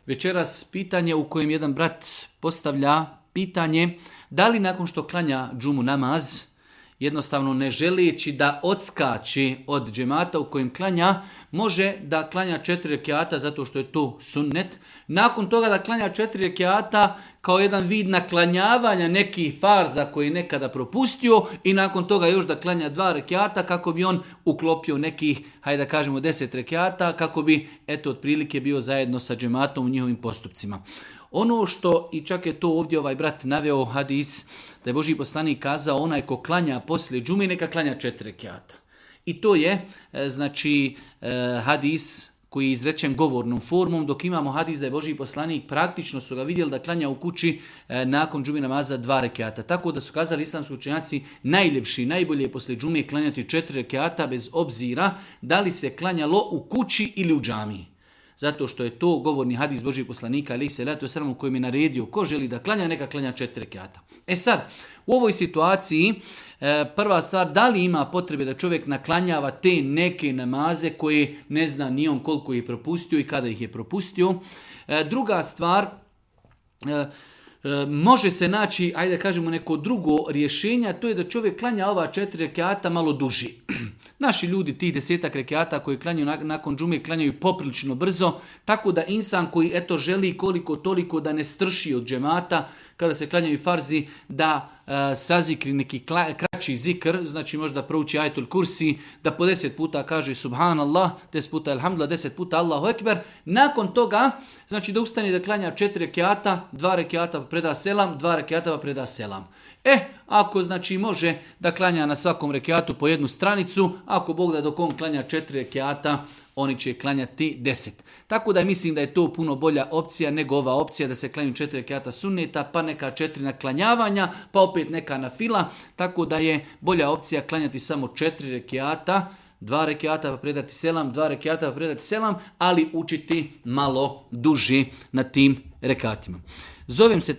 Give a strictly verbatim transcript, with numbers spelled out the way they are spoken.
Večeras pitanje u kojem jedan brat postavlja pitanje da li nakon što klanja džumu namaz, jednostavno ne želeći da odskači od džemata u kojem klanja, može da klanja četiri rekiata zato što je to sunnet. Nakon toga da klanja četiri rekiata kao jedan vid naklanjavanja nekih farza koji je nekada propustio i nakon toga još da klanja dva rekiata kako bi on uklopio nekih, hajde da kažemo, deset rekiata kako bi, eto, otprilike bio zajedno sa džematom u njihovim postupcima. Ono što, i čak je to ovdje ovaj brat naveo hadis, da je Božji poslanik kazao onaj ko klanja poslije džume neka klanja četiri rekiata. I to je, znači, hadis koji je izrečen govornom formom, dok imamo hadis da je Božji poslanik praktično su ga vidjeli da klanja u kući nakon džume namaza dva rekiata. Tako da su kazali islamski učenjaci najljepši, najbolje je poslije džume klanjati četiri rekiata bez obzira da li se klanjalo u kući ili u džamiji. Zato što je to govorni hadis Božjeg poslanika alejhi selatu vesselam u kojem je naredio ko želi da klanja neka klanja četiri rekiata. E sad, u ovoj situaciji prva stvar, da li ima potrebe da čovjek naklanjava te neke namaze koje ne zna ni on koliko je propustio i kada ih je propustio. Druga stvar, može se naći, ajde da kažemo, neko drugo rješenje, to je da čovjek klanja ova četiri rekiata malo duži. Naši ljudi tih desetak rekiata koji klanjaju nakon džume klanjaju poprilično brzo, tako da insan koji eto želi koliko toliko da ne strši od džemata, kada se klanjaju farzi, da uh, sazikri neki kla, kraći zikr, znači možda prouči ajetul kursi, da po deset puta kaže subhanallah, deset puta alhamdulillah, deset puta Allahu ekber. Nakon toga, znači da ustane da klanja četiri rekiata, dva rekiata pa preda selam, dva rekiata pa preda selam. E, ako znači može da klanja na svakom rekiatu po jednu stranicu, ako Bog da dok on klanja četiri rekiata, oni će klanjati deset. Tako da mislim da je to puno bolja opcija nego ova opcija da se klanju četiri rekiata sunneta, pa neka četiri naklanjavanja, pa opet neka nafila. Tako da je bolja opcija klanjati samo četiri rekiata, dva rekiata pa predati selam, dva rekiata pa predati selam, ali učiti malo duži na tim rekatima. Zovem se